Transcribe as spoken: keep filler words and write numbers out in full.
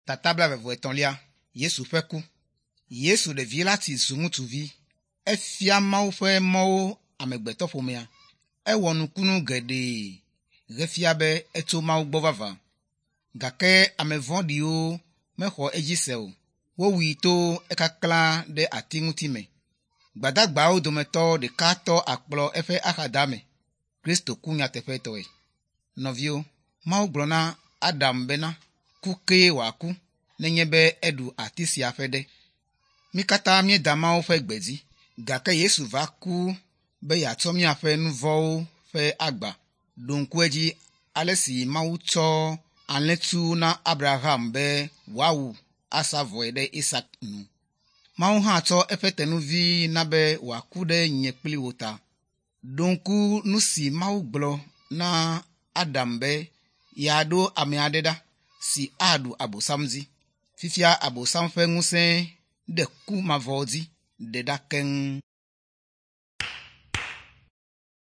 Tata blaeve-vɔ-etɔ̃lia Yesu ƒe ku. Yesu ɖevi la tsi zu ŋutsuvi. Efia Mawu ƒe mɔwo amegbetɔƒomea. Ewɔ nukunu geɖe hefia be etso Mawu gbɔ vavã. Gake ame vɔ̃ɖiwo mexɔ edzi se o. Wowui to ekaklã ɖe ati ŋuti me. Gbadagbawo dometɔ ɖeka tɔ akplɔ eƒe axadame. Kristo ku nyateƒetɔe. Nɔviwo, Mawu gblɔ na Adam bena ku kee wòaku nenye be eɖu ati sia ƒe ɖe. Mí katã míeda Mawu ƒe gbe dzi gake Yesu va ku be yeatsɔ míaƒe nu vɔ̃wo ƒe agba. Ɖo ŋku edzi ale si Mawu tsɔ alẽtsu na Abraham be wòawu asa vɔe ɖe Isak nu. Mawu hã tsɔ eƒe tenuvi na be wòaku ɖe nye kpli wò ta. Ɖo ŋku nu si Mawu gblɔ na Adam be yeaɖo ame aɖe ɖa si aɖu Abosam dzi. Fifia Abosam ƒe ŋusẽ ɖe ku mavɔ dzi ɖe ɖa keŋ.